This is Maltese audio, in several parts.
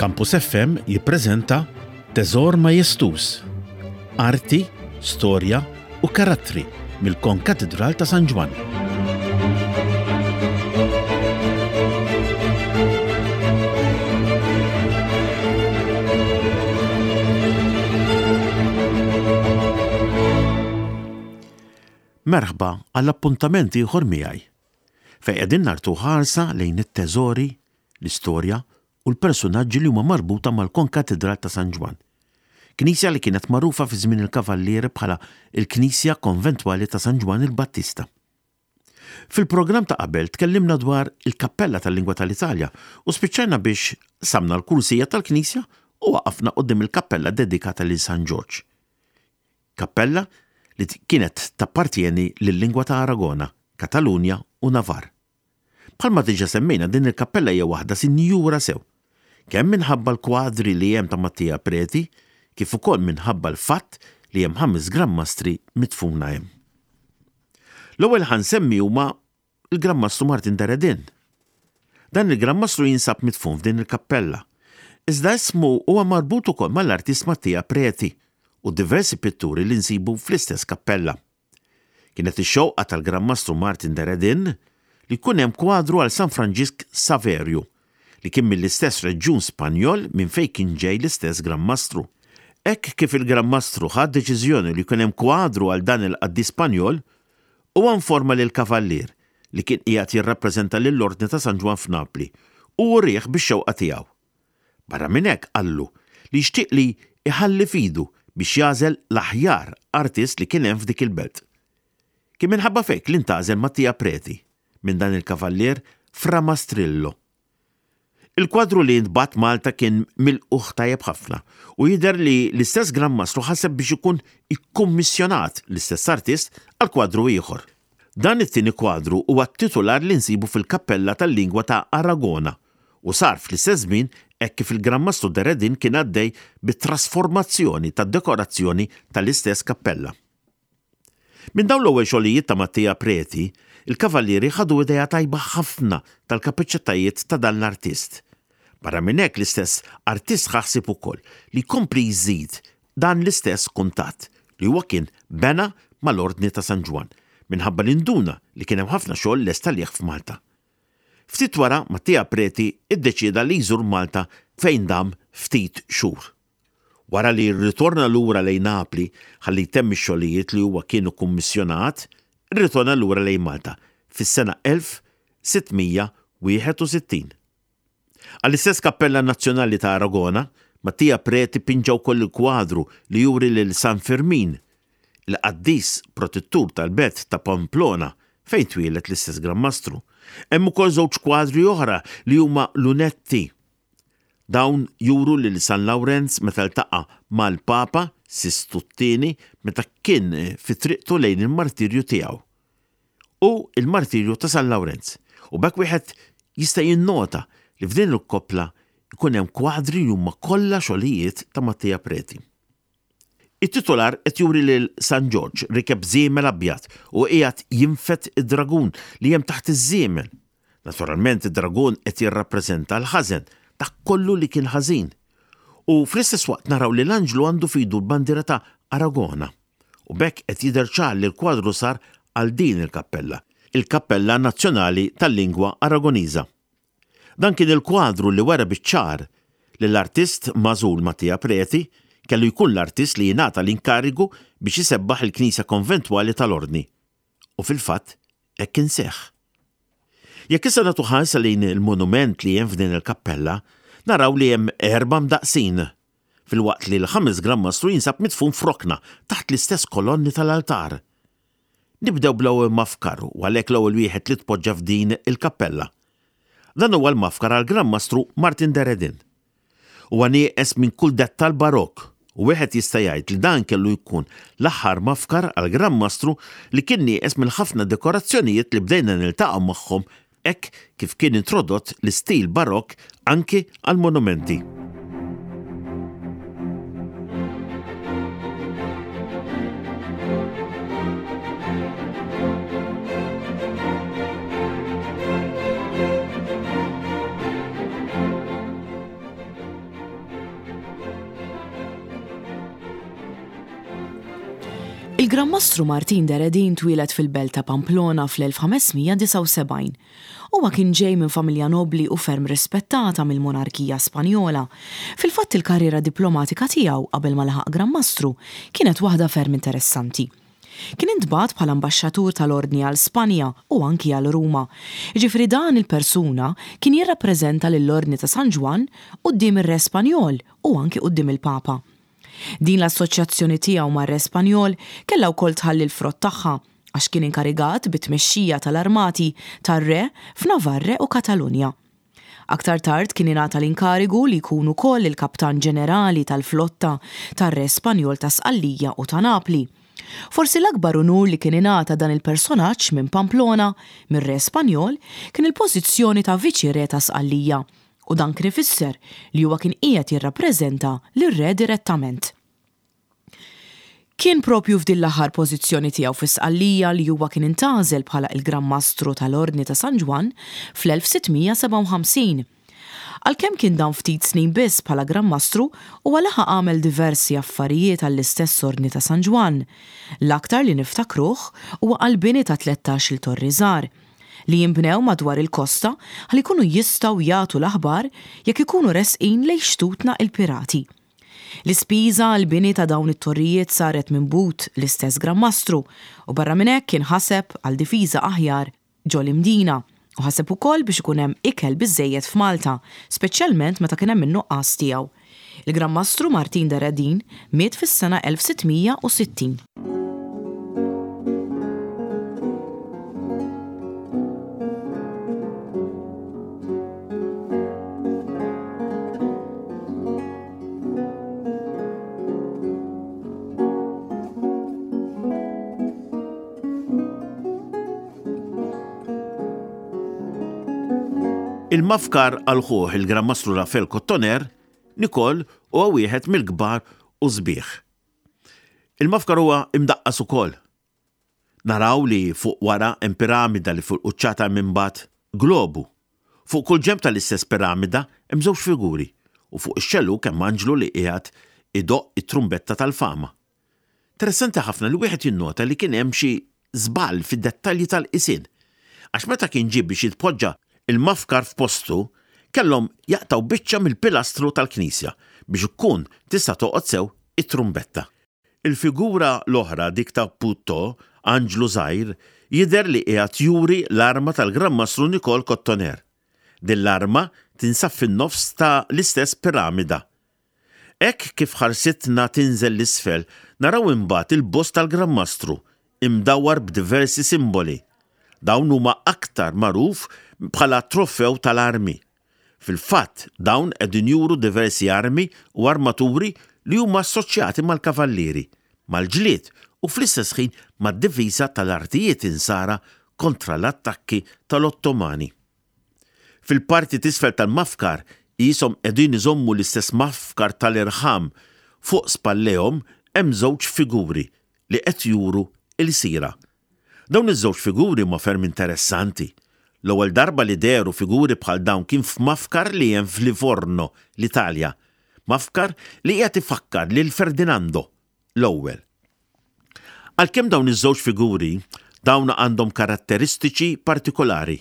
Campus FM jippreżenta Teżor Majestus, Arti, Storja u Karattri mill-Konkatidral ta' San Ġwann. Merħba għal appuntament ieħor miegħi, fejn qegħdin nartu ħarsa lejn it-teżori, l-istorja u l-persunaġġi li huma marbuta mal-Konkatidral ta' San Ġwann. Knisja li kienet magħrufa fi żmien il-Kavallieri bħala l-Knisja Konventwali ta' San Ġwann il-Battista. Fil-programm ta' qabel tkellimna dwar il-Kappella tal-Lingwa tal-Italja u spiċċajna biex qsamna l-kursija tal-knisja u waqafna quddiem il-kappella dedikata lil San Ġorġ. Kappella li kienet tappartjeni lil-lingwa ta' Aragona, Katalunja u Navarre. Bħalma diġà semmejna din il-kappella hija waħda sinjura sew, kemm minħabba l-kwadri li hemm ta' Mattia Preti kif ukoll minħabba l-fatt li hemm ħames Gran Mastri midfuna hemm. L-ewwel li ħa nsemmi huma l-Gran Mastru Martin de Redin. Dan il-Gran Mastru jinsab midfun f'din il-kappella. Iżda ismu huwa marbut ukoll mal-artist Mattia Preti u diversi pitturi li nsibu fl-istess kappella. Kienet ix-xewqa tal-Gran Mastru Martin de Redin li jkun hemm kwadru għal San Franġisk Saverju, li kien mill-istess reġjun Spanjol minn fejn kien ġej l-istess Gran Mastru. Hekk kif il-Gran Mastru ħa d-deċiżjoni li jkun hemm kwadru għal dan il-qaddis Spanjol, huwa informa lill-Kavallier, li kien qiegħed jirrappreżenta lill-Ordni ta' San Ġwann f'Napli, u urieh bix-xewqa tiegħu. Barra minn hekk qallu li jixtieq li jħalli f'idu biex jagħżel l-aħjar artist li kien hemm f'dik il-belt. Kien minħabba f'hekk li ntgħażel Mattia Preti minn dan il-kavallier Fra Mastrillo. Il-kwadru li ntbagħat Malta kien milqugħ tajjeb ħafna u jidher li l-istess Gran Mastru ħaseb biex ikun ikkummissjonat l-istess artist għal kwadru ieħor. Dan it-tieni kwadru huwa t-titular li nsibu fil-kappella tal-lingwa ta' Aragona u sar fl-istess żmien hekk kif il-Gran Mastru de Redin kien għaddej bit-trasformazzjoni tad-dekorazzjoni tal-istess kappella. Minn dawn l-ewwel xogħlijiet ta' Mattia Preti, il-Kavallieri ħadu idea tajba ħafna tal-kapaċitajiet ta' dan l-artist. Barra minn hekk l-istess artist ħa ħsieb ukoll li jkompli jżid dan l-istess kuntatt li huwa kien bena mal-Ordni ta' San Ġwann minħabba li nduna li kien hemm ħafna xogħol lest għalih f'Malta. Ftit wara, Mattia Preti ddeċieda li jżur Malta fejn dam ftit xhur. Wara li rritorna lura lejn Napli ħalli jtemm ix-xogħlijiet li huwa kien ikkummissjonat, irritorna lura lejn Malta fis-sena 1661. Għall-istess Kappella Nazzjonali ta' Aragona, Mattia Preti pinġa wkoll il-kwadru li juri lil San Firmin, il-qaddis protettur tal-belt ta' Pamplona fejn twieled l-istess Gran Mastru. Hemm ukoll żewġ kwadri oħra li huma lunetti. Dawn juru lil San Lawrenz meta ltaqa' mal-Papa Sistu t-Tieni meta kien fi triqtu lejn il-martirju tiegħu. U l-martirju ta' San Lawrenz. U b'hekk wieħed jista' jinnota li f'din il-koppla jkun hemm kwadri li huma kollha xogħlijiet ta' Mattia Preti. It-titular qed juri lil San Ġorġ rikeb żiemel abjad u qiegħed jinfed id-dragun li hemm taħt iż-żiemel. Naturalment id-dragun qed jirrappreżenta l-ħażen, dak kollu li kien ħażin. U fl-istess waqt naraw li l-anġlu għandu f'idu l-bandiera ta' Aragona. U b'hekk qed jidher ċar li l-kwadru sar għal din il-kappella, il-Kappella Nazzjonali tal-Lingwa Aragoniża. Dan kien il-kwadru li wera biċ-ċar li l-artist magħżul Mattia Preti kellu jkun l-artist li jingħata l-inkarigu biex isebbaħ il-knisja konventwali tal-Ordni. U fil-fatt hekk kien seħħ. Jekk issa nagħtu ħarsa lejn il-monument li hemm f'din il-kappella, naraw li hemm erba' mdaqqsin, filwaqt li l-ħames Gran Mastru jinsab midfun f'rokna taħt l-istess kolonni tal-altar. Nibdew bl-ewwel mafkar u għalhekk l-ewwel wieħed li tpoġġa f'din il-kappella. Dan huwa l-mafkar għall-Gran Mastru Martin de Redin. Huwa nieqes minn kull dettall Barokk u wieħed jista' jgħid li dan kellu jkun l-aħħar mafkar għall-Gran Mastru li kien nieqes mill-ħafna dekorazzjonijiet li bdejna niltaqgħu magħhom hekk kif kien introdott l-istil Barokk anki għall-monumenti. Il-Gran Mastru Martin de Redin twieled fil-belt ta' Pamplona fl-1579. Huwa kien ġej minn familja nobbli u ferm rispettata mill-monarkija Spanjola. Fil-fatt il-karriera diplomatika tiegħu qabel ma laħaq Gran Mastru kienet waħda ferm interessanti. Kien intbagħat bħala ambaxxatur tal-Ordni għal Spanja u anki għal Ruma. Jiġifieri dan il-persuna kien jirrappreżenta lill-Ordni ta' San Ġwann quddiem ir-Re Spanjol u anki quddiem il-Papa. Din l-assoċjazzjoni tiegħu mar-Re Spanjol kellha wkoll tħalli l-frott tagħha għax kien inkarigat bit-tmexxija tal-armati tar-Re f'Navarre u Katalunja. Aktar tard kien ingħata l-inkarigu li jkun ukoll il-Kaptan Ġenerali tal-flotta tar-Re Spanjol ta' Sqallija u ta' Napli. Forsi l-akbar unur li kien ingħata dan il-personaġġ minn Pamplona mir-Re Spanjol kien il-pożizzjoni ta' Viċi Re ta' Sqallija u dan kien ifisser li huwa kien qiegħed jirrappreżenta lir-Re direttament. Kien proprju f'din l-aħħar pożizzjoni tiegħu fi Sqallija li huwa kien intgħażel bħala il-Gran Mastru tal-Ordni ta' San Ġwann fl-1657. Għalkemm kien dam ftit snin biss bħala Gran Mastru, huwa laħaq għamel diversi affarijiet għall-istess Ordni ta' San Ġwann. L-aktar li niftakruh huwa għall-bini ta' tlettax-il torri żgħar, li jinbnew madwar il-kosta ħalli jkunu jistgħu jagħtu l-aħbar jekk ikunu resqin lejn xtutna il-pirati. L-ispiża għall-bini ta' dawn it-torrijiet saret minn but l-istess Gran Mastru u barra minn hekk kien ħaseb għal difiża aħjar ġo l-Imdina u ħaseb ukoll biex ikun hemm ikel biżżejjed f'Malta, speċjalment meta kien hemm in-nuqqas tiegħu. Il-Gran Mastru Martin de Redin miet fis-sena 1660. Il-mafkar għal ħuh il-Gran Mastru Raffael Kottoner, Nikol huwa wieħed mill-kbar u sbieħ. Il-mafkar huwa imdaqqas ukoll. Naraw li fuq wara hemm piramida li fuq il-quċċata hemm imbagħad globu. Fuq kull ġenb tal-istess piramida hemm żewġ figuri u fuq ix-xellug hemm anġlu li qiegħed idoqq it-trumbetta tal-fama. Interessanti ħafna li wieħed jinnota li kien hemm xi żball fid-dettalji tal-qisien għax meta kien ġie biex jitpoġġa l-mafkar f'postu kellhom jaqtgħu biċċa mill-pilastru tal-knisja biex tkun tista' toqgħod sew it-trumbetta. Il-figura l-oħra, dik ta' Putto, anġlu żgħir, jidher li qiegħed juri l-arma tal-Gran Mastru Nikol Kottoner. Din l-arma tinsab fin-nofs ta' l-istess piramida. Hekk kif ħarsitna tinżel 'l isfel, naraw imbagħad il-bost tal-Gran Mastru, imdawwar b'diversi simboli. Dawn huma aktar magħruf bħala trofew tal-armi. Fil-fatt, dawn qegħdin juru diversi armi u armaturi li huma assoċjati mal-kavallieri, mal-ġlied u fl-istess ħin mad-difiża tal-artijiet Insara kontra l-attakki tal-Ottomani. Fil-parti t'isfel tal-mafkar qishom qegħdin iżommu l-istess mafkar tal-irħam fuq spallejhom hemm żewġ figuri li qed juru ilsira. Dawn iż-żewġ figuri huma ferm interessanti. L-ewwel darba li dehru figuri bħal dawn kien f'mafkar li hemm f'Livorno, l-Italja. Mafkar li qiegħed ifakkar lil Ferdinando l-Ewwel. Għalkemm dawn iż-żewġ figuri dawn għandhom karatteristiċi partikolari.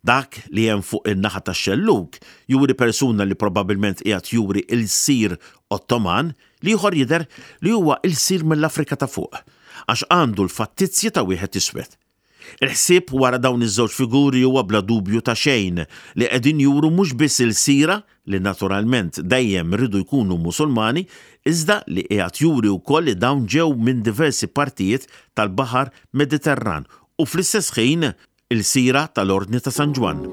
Dak li hemm fuq in-naħa tax-xellug juri persuna li probabbilment qiegħed juri ilsir Ottoman, l-ieħor jidher li huwa ilsir mill-Afrika ta' Fuq, għax għandu l-fattizji ta' wieħed iswed. Il-ħsieb wara dawn iż-żewġ figuri huwa bla dubju ta' xejn li qegħdin juru mhux biss ilsira, li naturalment dejjem riedu jkunu Musulmani, iżda li qiegħed juri wkoll li dawn ġew minn diversi partijiet tal-Baħar Mediterran u fl-istess ħin Ilsira tal-Ordni ta' San Ġwann.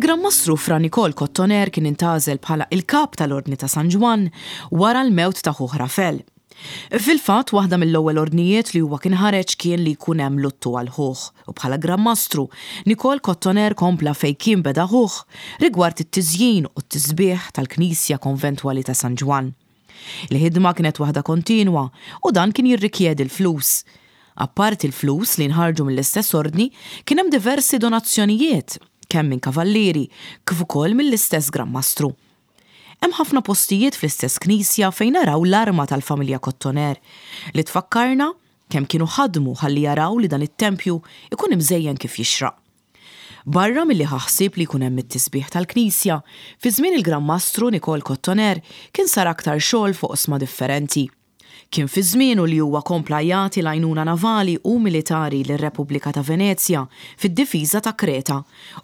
Il-Gran Mastru Fra Nikol Kottoner kien intgħażel bħala il-Kap tal-Ordni ta' San Ġwann wara l-mewt ta' ħuh Rafel. Fil-fatt, waħda mill-ewwel ordnijiet li huwa kien ħareġ kien li jkun hemm luttu għal ħuh u bħala Gran Mastru, Nikol Kottoner kompla fejn kien beda ħuh rigward it-tiżjin u t-tisbiħ tal-Knisja Konventwali ta' San Ġwann. Il-ħidma kienet waħda kontinwa u dan kien jirrikjedi l-flus. Apparti l-flus li nħarġu mill-istess Ordni, kien hemm diversi donazzjonijiet, kemm minn kavallieri, kif ukoll mill-istess Gran Mastru. Hemm ħafna postijiet fl-istess knisja fejn naraw l-arma tal-familja Kottoner, li tfakkarna kemm kienu ħadmu ħalli jaraw li dan it-tempju jkun imżejjen kif jixraq. Barra milli ħa ħsieb li jkun hemm it-tisbiħ tal-knisja, fi żmien il-Gran Mastru Nikol Kottoner kien sar aktar xogħol f'oqsma differenti. Kien fi żmienu li huwa kompla jagħti l-għajnuna navali u militari lir-Repubblika ta' Venezja fid-difiża ta' Kreta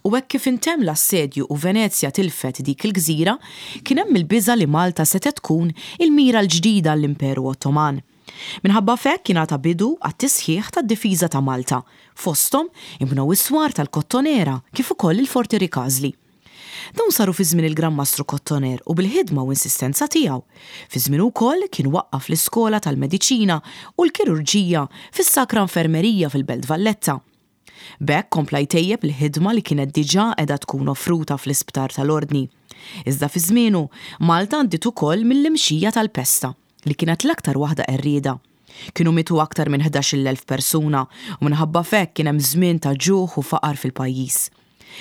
u hekk kif intemm l-assedju u Venezja tilfet dik il-gżira, kien hemm il-biża' li Malta setgħet tkun il-mira l-ġdida għall-Imperu Ottoman. Minħabba f'hekk ingħata bidu għat-tisħiħ tad-difiża ta' Malta, fosthom inbnew is-swar tal-Kottonera kif ukoll il-Forti Rikażli. Dawn saru fi żmien il-Gran Mastru Kottoner u bil-ħidma u insistenza tiegħu. Fi żmienu wkoll kien waqqaf l-iskola tal-mediċina u l-kirurġija fis-Sacra Infermerija fil-Belt Valletta. B'hekk kompla jtejjeb il-ħidma li kienet diġà qiegħda tkun offruta fl-isptar tal-Ordni. Iżda fi żmienu, Malta għaddiet ukoll mill-imxija tal-pesta, li kienet l-aktar waħda qerrieda. Kienu mietu aktar minn 11,000 persuna u minħabba f'hekk kien hemm żmien ta' ġuħ u faqar fil-pajjiż.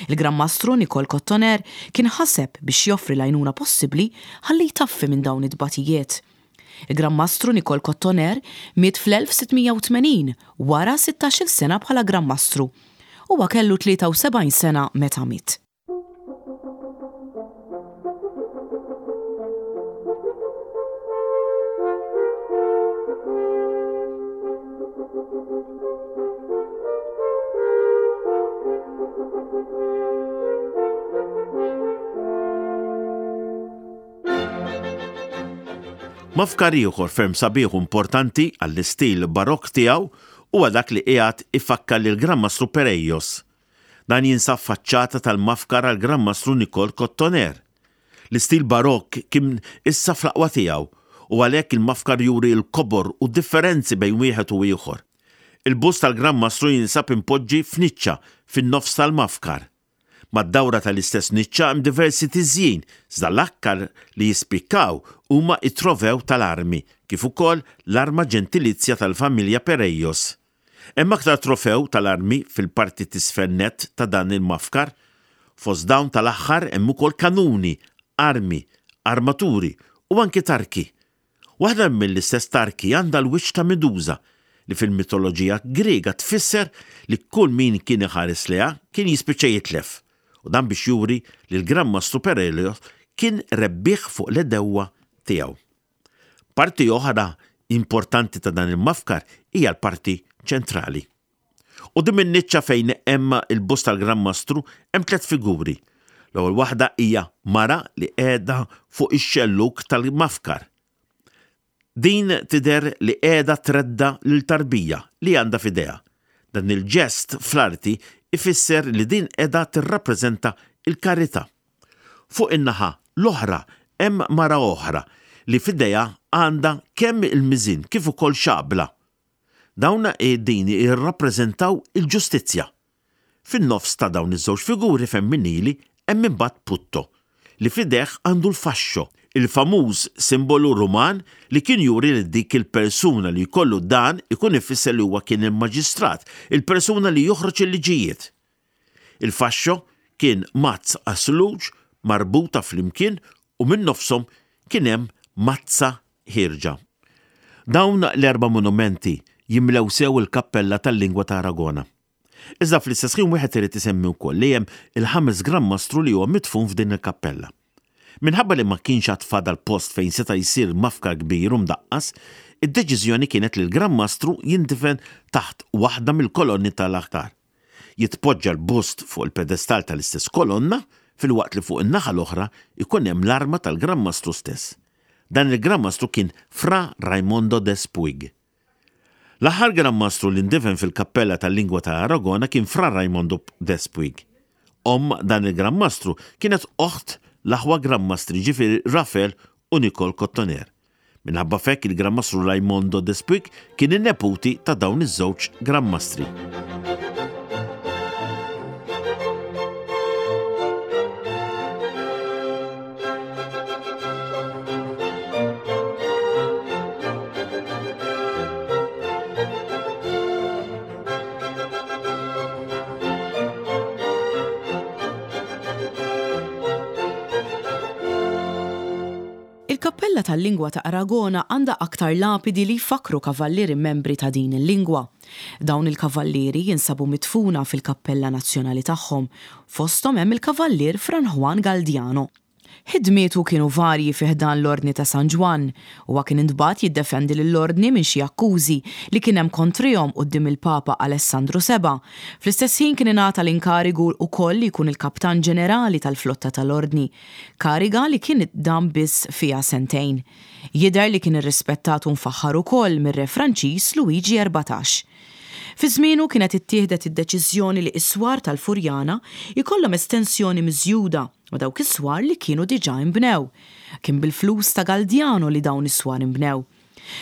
Il-Gran Mastru Nikol Kottoner kien ħaseb biex joffri l-għajnuna possibbli ħalli jtaffi minn dawn it-tbatijiet. Il-Gran Mastru Nikol Kottoner miet fl-1680 wara sittax-il sena bħala Gran Mastru. Huwa kellu 73 sena meta miet. Mafkar ieħor ferm sabiħ u importanti għall-istil Barokk tiegħu huwa dak li qiegħed ifakkar lill-Gran Mastru Perejos. Dan jinsab faċċata tal-mafkar għall-Gran Mastru Nikol Kottoner. L-istil Barokk kien issa fl-aqwa tiegħu u għalhekk il-mafkar juri l-kobor u d-differenzi bejn wieħed u ieħor. Il-bust tal-Gran Mastru jinsab impoġġi f'niċċa fin-nofs tal-mafkar. Mad-dawra tal-istess niċċa hemm diversi tiżjin, iżda l-aktar li jispikkaw huma t-trofew tal-armi, kif ukoll l-arma ġentilizja tal-familja Perejos. Hemm aktar trofew tal-armi fil-parti t'isfel nett ta' dan il-mafkar. Fost dawn tal-aħħar hemm ukoll kanuni, armi, armaturi u anki tarki. Waħda mill-istess tarki għandha l-wiċċ ta' Medusa, li fil-mitoloġija Griega tfisser li kull min kien iħares lejha kien jispiċċa jitlef, u dan biex juri li l-Gran Mastru Perelios kien rebbieħ fuq l-għedewwa tiegħu. Parti oħra importanti ta' dan il-mafkar hija l-parti ċentrali. Quddiem in-niċċa fejn hemm il-bust tal-Gran Mastru hemm tlett figuri. L-ewwel waħda hija mara li qiegħda fuq ix-xellug tal-mafkar. Din tidher li qiegħda tredda' lil tarbija li għandha f'idejha. Dan il-ġest fl-arti ifisser li din qiegħda tirrappreżenta l-karità. Fuq in-naħa l-oħra hemm mara oħra li f'idejha għandha kemm il-miżien kif ukoll xabla. Dawn qegħdin jirrappreżentaw il-ġustizzja. Fin-nofs ta' dawn iż-żewġ figuri femminili hemm imbagħad Putto, li f'idejh għandu l-fascio, il-famuż simbolu Ruman li kien juri li dik il-persuna li jkollu dan ikun ifisser li huwa kien il-maġistrat, il-persuna li joħroġ il-liġijiet. Il-fascio kien mazz għas-sluġ marbuta flimkien u minn nofshom kien hemm mazza ħierġa. Dawn l-erba' monumenti jimlew sew il-kappella tal-lingwa ta' Aragona. Iżda fl-istess ħin wieħed irid isemmi wkoll li hemm il-ħames Gran Mastru li huwa midfun f'din il-kappella. Minħabba li ma kienx għad fadal post fejn seta' jsir mafkar kbir u mdaqqas, id-deċiżjoni kienet li l-Gran Mastru jindifen taħt waħda mill-kolonni tal-altar. Jitpoġġa l-bust fuq il-pedestall tal-istess kolonna filwaqt li fuq in-naħa l-oħra jkun hemm l-arma tal-Gran Mastru stess. Dan il-Gran Mastru kien Fra Raimondo Despuig. L-aħħar Gran Mastru li ndifen fil-kappella tal-lingwa ta' Aragona kien Fra Raimondo Despuig. Omm dan il-Gran Mastru kienet oħt l-aħwa Gran Mastri ġifieri Rafel u Nicole Cotoner. Minħabba f'hekk il-Gran Mastru Raimondo Despuig kien in-neputi ta' dawn iż-żewġ Gran Mastri. Il-Kappella tal-Lingwa ta' Aragona għandha aktar lapidi li jfakkru kavallieri membri ta' din il-lingwa. Dawn il-kavallieri jinsabu midfuna fil-kappella nazzjonali tagħhom, fosthom hemm il-Kavallier Fran Juan Galdiano. Ħidmietu kienu varji fi ħdan l-Ordni ta' San Ġwann. Huwa kien intbagħat jiddefendi lill-Ordni minn xi akkużi li kien hemm kontrihom quddiem il-Papa Alessandru Seba'. Fl-istess ħin kien ingħata l-inkarigu wkoll li jkun il-Kaptan Ġenerali tal-flotta tal-Ordni, kariga li kien dam biss fiha sentejn. Jidher li kien irrispettat u mfaħħar ukoll mir-Re Franċiż Luiġi 14. Fi żmienu kienet ittieħdet id-deċiżjoni li s-swar tal-Furjana jkollhom estensjoni miżjuda ma' dawk is-swar li kienu diġà inbnew. Kien bil-flus ta' Galdiano li dawn is-swar inbnew.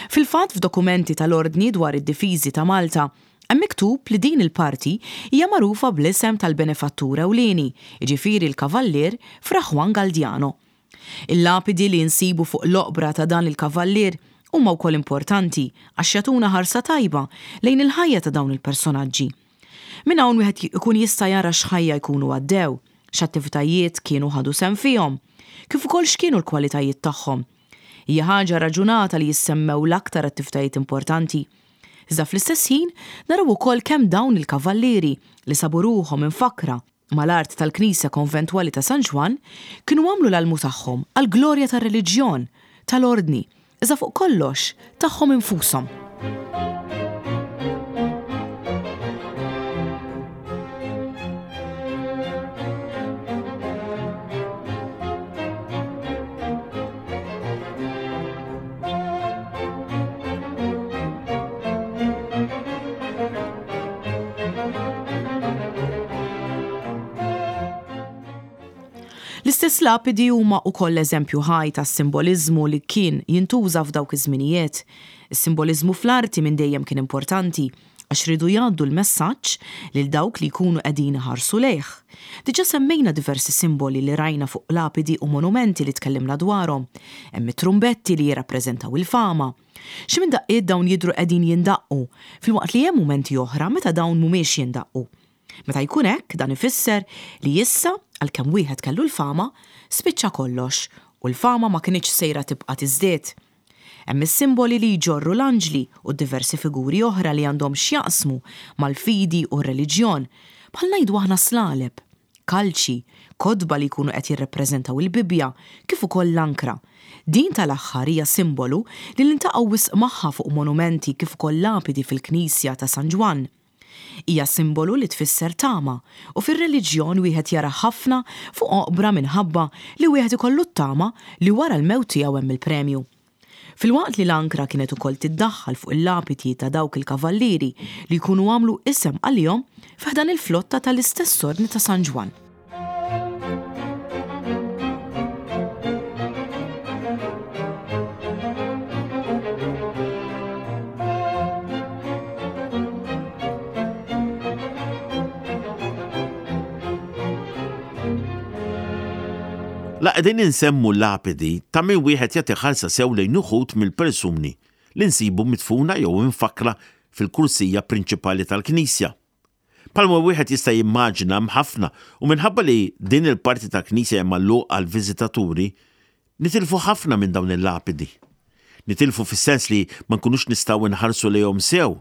Fil-fatt f'dokumenti tal-Ordni dwar id-difiżi ta' Malta hemm miktub li din il-parti hija magħrufa bl-isem tal-benefattur ewlieni, jiġifieri l-Kavallier Fra Juan Galdiano. Il-lapidi li nsibu fuq l-oqbra ta' dan il-kavallier huma wkoll importanti għax jagħtuna ħarsa tajba lejn il-ħajja ta' dawn il-personaġġi. Minn hawn wieħed ikun jista' jara x'ħajja jkunu għaddew, x'attivitajiet kienu ħadu sehem fihom, kif ukoll x'kienu l-kwalitajiet tagħhom. Hija ħaġa raġunata li jissemmew l-aktar attivitajiet importanti. Iżda fl-istess ħin naraw ukoll kemm dawn il-kavallieri li sabu ruħhom imfakkra mal-art tal-knisja konventwali ta' San Ġwann kienu għamlu l-almu tagħhom għall-glorja tar-reliġjon, tal-Ordni, iżda fuq kollox tagħhom infushom. L-istess lapidi huma wkoll eżempju ħaj tas-simboliżmu li kien jintuża f'dawk iż-żminijiet. Is-simboliżmu fl-arti minn dejjem kien importanti għax riedu jgħaddu l-messaġġ lil dawk li jkunu qegħdin iħarsu lejh. Diġà semmejna diversi simboli li rajna fuq lapidi u monumenti li tkellimna dwarhom. Hemm it-trumbetti li jirrappreżentaw il-fama. Xi minn daqqiet dawn jidhru qegħdin jindaqqu, filwaqt li hemm mumenti oħra meta dawn mhumiex jindaqqu. Meta jkun hekk, dan ifisser li issa, għalkemm wieħed kellu l-fama, spiċċa kollox u l-fama ma kinitx sejra tibqa' tiżdied. Hemm is-simboli li jġorru l-anġli u diversi figuri oħra li għandhom x'jaqsmu mal-fidi u r-reliġjon, bħal ngħidu aħna slaleb, kalċi, kotba li jkunu qed jirrappreżentaw il-Bibbja, kif ukoll l-ankra. Din tal-aħħar hija simbolu li niltaqgħu wisq magħha fuq monumenti kif ukoll lapidi fil-knisja ta' San Ġwann. Hija simbolu li tfisser tama u fir-reliġjon wieħed jara ħafna fuq oqbra minħabba li wieħed ikollu t-tama li wara l-mewt tiegħu hemm il-premju. Filwaqt li l-ankra kienet ukoll tiddaħħal fuq il-lapiti ta' dawk il-kavallieri li jkunu għamlu isem għalihom fi ħdan il-flotta tal-istess Ordni ta' San Ġwann. La qegħdin insemmu lapidi ta' min wieħed jagħti ħarsa sew lejn uħud mill-persuni li nsibu midfuna jew imfakkra fil-kursija prinċipali tal-knisja. Bħalma wieħed jista' jimmaġina hemm ħafna u minħabba li din il-parti tal-knisja hija magħluqa għall-viżitaturi, nitilfu ħafna minn dawn il-lapidi. Nitilfu fis-sens li ma nkunux nistgħu nħarsu lejhom sew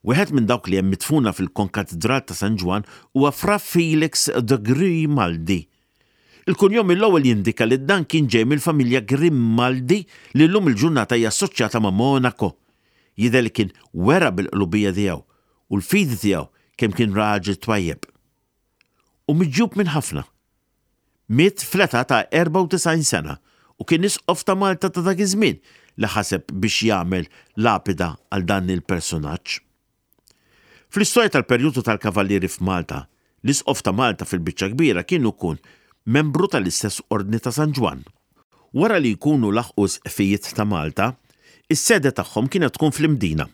Wieħed minn dawk li hemm midfuna fil-Konkatidral ta' San Ġwann huwa Fra Felix de Grimaldi. Il-kunjom mill-ewwel jindika li dan kien ġej mill-familja Grimaldi li llum il-ġurnata hija assoċjata ma' Monaco. Jidher li kien wera bil-qlubija tiegħu u l-fidi tiegħu kemm kien raġel twajjeb. U miġjub minn ħafna. Miet fl-età ta' 94 sena u kien Isqof ta' Malta ta' dak iż-żmien li ħaseb biex jagħmel lapida għal dan il-persunaġġ. Fl-istorja tal-perjodu tal-Kavallieri f'Malta, L-Isqof ta' Malta fil-biċċa kbira kien ikun membru tal-istess Ordni ta' San Ġwann. Wara li jkunu laħqu s-sqfijiet ta' Malta, is-sede tagħhom kienet tkun fl-Imdina.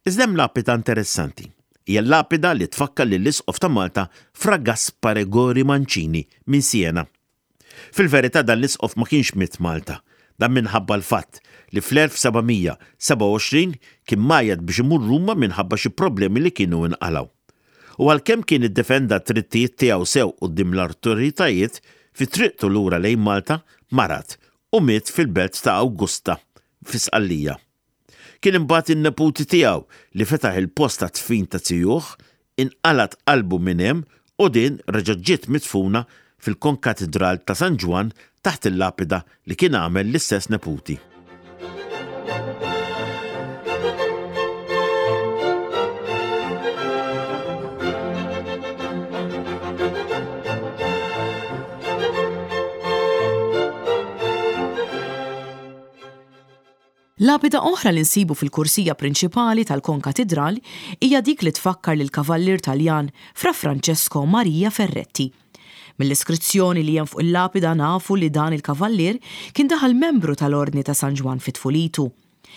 Iżda hemm lapida interessanti. Hija l-lapida li tfakkar lill-Isqof ta' Malta Fra Gaspare Gori Mancini minn Siena. Fil-verità dan l-isqof ma kienx miet Malta. Dan minħabba l-fatt li fl-1727 kien mgħajjat biex imur Ruma minħabba xi problemi li kienu inqalgħu. U għalkemm kien iddefenda d-drittijiet tiegħu sew quddiem l-awtoritajiet, fi triqtu lura lejn Malta marad u miet fil-belt ta' Augusta fi Sqallija. Kien imbagħad in-neputi tiegħu li fetaħ il-post tat-dfin ta' zijuh, inqalgħet qalbu minn hemm u din reġgħet ġiet midfuna fil-Konkatidral ta' San Ġwann taħt il-lapida li kien għamel l-istess neputi. Lapida oħra li nsibu fil-kursija prinċipali tal-Konkatidral hija dik li tfakkar lill-kavallier Taljan Fra Francesco Maria Ferretti. Mill-iskrizzjoni li hemm fuq il-lapida nafu li dan il-kavallier kien daħal membru tal-Ordni ta' San Ġwann fi tfulitu.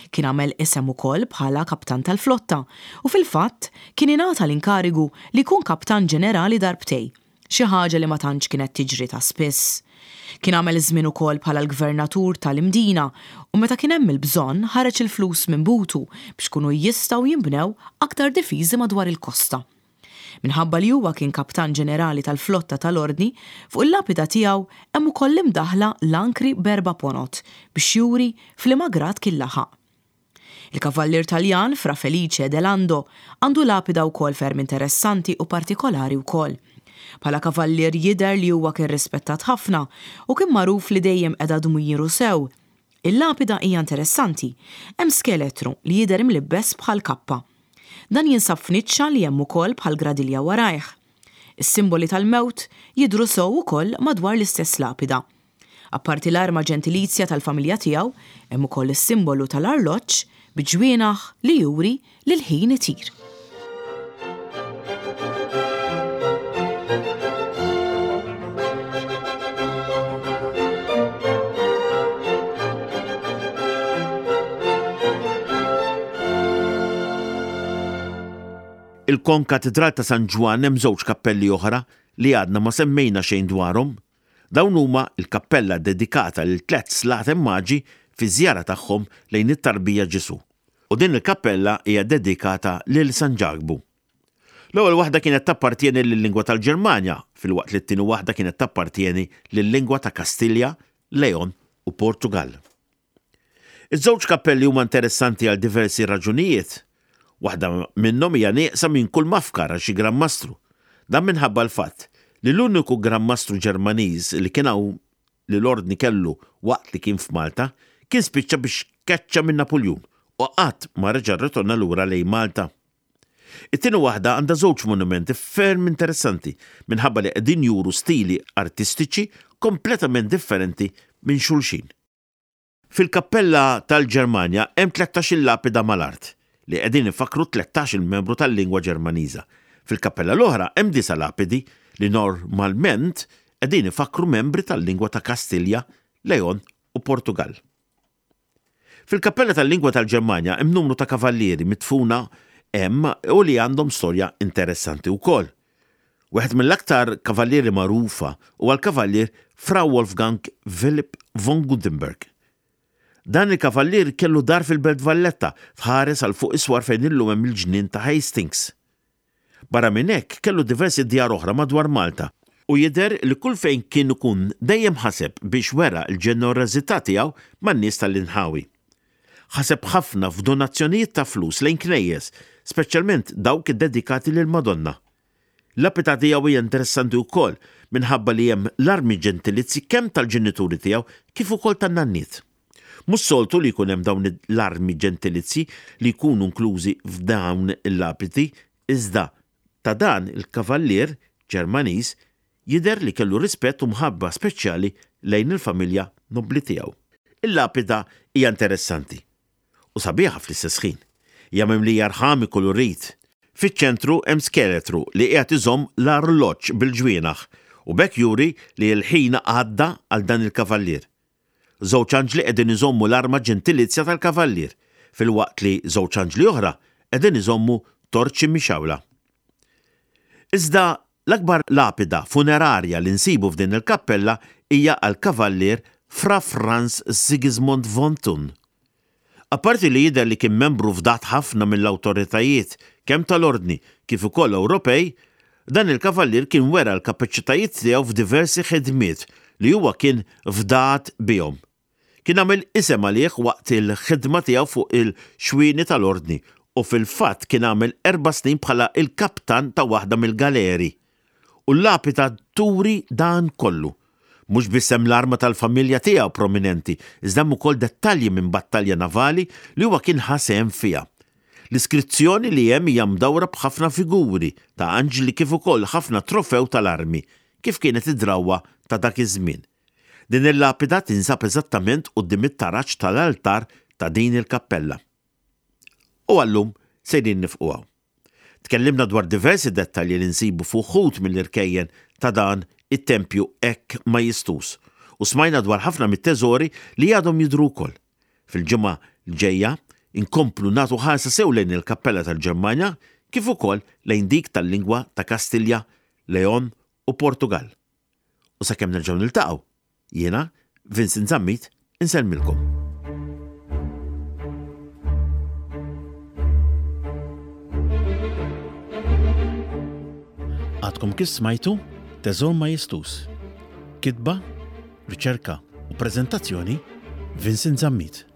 Kien għamel isem ukoll bħala kaptan tal-flotta u fil-fatt kien ingħata l-inkarigu li jkun kaptan ġenerali darbtej. xi ħaġa li ma tantx kienet tiġri ta' spiss. Kien għamel żmien ukoll bħala l-gvernatur ta' l-Imdina u meta kien hemm il-bżonn ħareġ il-flus minn butu biex ikunu jistgħu jinbnew aktar difiżi madwar il-kosta. Minħabba li huwa kien kaptan ġenerali tal-flotta tal-Ordni, fuq il-lapida tiegħu hemm ukoll imdaħħla l-ankri b'erba' ponot biex juri f'liema grad kien laħaq. Il-kavallier Taljan Fra Felice de Lando għandu lapida wkoll ferm interessanti u partikolari wkoll. Bħala kavallier jidher li huwa kien rispettat ħafna u kien magħruf li dejjem qeda dmiru sew. Il-lapida hija interessanti. Hemm skeletru li jidher imlibbes bħal kappa. Dan jinsab f'niċċa li hemm ukoll bħal gradilja warajh. Is-simboli tal-mewt jidhru sew ukoll madwar l-istess lapida. Apparti l-arma ġentilizja tal-familja tiegħu, hemm ukoll is-simbolu tal-arloġġ bi ġwienaħ li juri li l-ħin itir. Il-Konkatidral ta' San Ġwann hemm żewġ kappelli oħra li għadna ma semmejna xejn dwarhom. Dawn huma l-kappella ddedikata lil tlett Slaten Maġi fiż-żjara tagħhom lejn it-tarbija Ġesù, u din il-kappella hija ddedikata lil San Ġakbu. L-ewwel waħda kienet tappartjeni lil-lingwa tal-Ġermanja, filwaqt li t-tieni waħda kienet tappartjeni lil-lingwa ta' Kastilja, Leon u Portugall. Iż-żewġ kappelli huma interessanti għal diversi raġunijiet. Waħda minnhom hija nieqsa minn kull mafkar għal xi Gran Mastru. Dan minħabba l-fatt li l-uniku Gran Mastru Ġermaniż li kien hawn li l-Ordni kellu waqt li kien f'Malta kien spiċċa biex tkeċċa minn Napuljun u qatt ma reġa' rritorna lura lejn Malta. It-tieni waħda għandha żewġ monumenti ferm interessanti minħabba li qegħdin juru stili artistiċi kompletament differenti minn xulxin. Fil-kappella tal-Ġermanja hemm tlettax-il lapida mal-art, li qegħdin ifakkru tlettax-il membru tal-lingwa Ġermaniża. Fil-kappella l-oħra hemm disa' lapidi li normalment qegħdin ifakkru membri tal-lingwa ta' Kastilja, Leon u Portugall. Fil-kappella tal-lingwa tal-Ġermanja hemm numru ta' kavallieri midfuna hemm u li għandhom storja interessanti wkoll. Wieħed mill-aktar kavallieri magħrufa huwa l-kavallier Fra Wolfgang Philipp von Gutenberg. Dan il-kavallier kellu dar fil-Belt Valletta tħares għal fuq is-swar fejn illum hemm il-ġnien ta' Hastings. Barra minn hekk kellu diversi djar oħra madwar Malta u jidher li kull fejn kien ikun dejjem ħaseb biex wera l-ġenerożità tiegħu man-nies tal-inħawi. Ħaseb ħafna f'donazzjonijiet ta' flus lejn knejjes, speċjalment dawk iddedikati lill-Madonna. L-lapida tiegħu hija interessanti wkoll minħabba li hemm l-armi ġentilizji kemm tal-ġenituri tiegħu kif ukoll tan-nanniet. Mhux soltu li jkun hemm dawn l-armi ġentilizji li jkunu inklużi f'dawn il-lapidi iżda ta' dan il-kavallier Ġermaniż jidher li kellu rispett u mħabba speċjali lejn il-familja nobbli tiegħu. Il-lapida hija interessanti u sabiħa fl-istess ħin. Hija mimlija rħam ikkulurit. Fiċ-ċentru hemm skeletru li qiegħed iżomm l-arloġġ bil-ġwienaħ u b'hekk juri li l-ħin għadda għal dan il-kavallier. Żewġ anġli qegħdin iżommu l-arma ġentilizja tal-kavallier, filwaqt li żewġ anġli oħra qegħdin iżommu torċi mixgħula. Iżda l-akbar lapida funerarja li nsibu f'din il-kappella hija għall-kavallier Fra Franz Sigismund von Thun. Apparti li jidher li kien membru fdat ħafna mill-awtoritajiet kemm tal-Ordni kif ukoll Ewropej, dan il-kavallier kien wera l-kapaċitajiet tiegħu f'diversi ħidmiet li huwa kien fdat bihom. Kien għamel isem għalih waqt il-ħidma tiegħu fuq il-xwieni tal-Ordni u fil-fatt kien għamel erba' snin bħala l-kaptan ta' waħda mill-galeri. U l-lapida turi dan kollu. Mhux biss hemm l-arma tal-familja tiegħu prominenti, iżda hemm ukoll dettalji minn battalja navali li huwa kien ħa sehem fiha. L-iskrizzjoni li hemm hija mdawra b'ħafna figuri ta' anġli kif ukoll ħafna trofew tal-armi, kif kienet id-drawwa ta' dak iż-żmien. Din il-lapida tinsab eżattament quddiem it-taraġ tal-altar ta' din il-kappella. U għal-lum sejrin nifqu hawn. Tkellimna dwar diversi dettalji li nsibu f'uħud mill-irkejjen ta' dan it-tempju hekk majestuż u smajna dwar ħafna mit-teżori li għadhom jidhru wkoll. Fil-ġimgħa l-ġejja nkomplu nagħtu ħarsa sew lejn il-kappella tal-Ġermanja kif ukoll lejn dik tal-lingwa ta' Kastilja, Leon u Portugall. U sakemm nerġgħu niltaqgħu, Jiena, Vincent Zammit, insellmilkom. Għadkom kif smajtu Teżor Majestus. Kitba, riċerka u preżentazzjoni Vincent Zammit.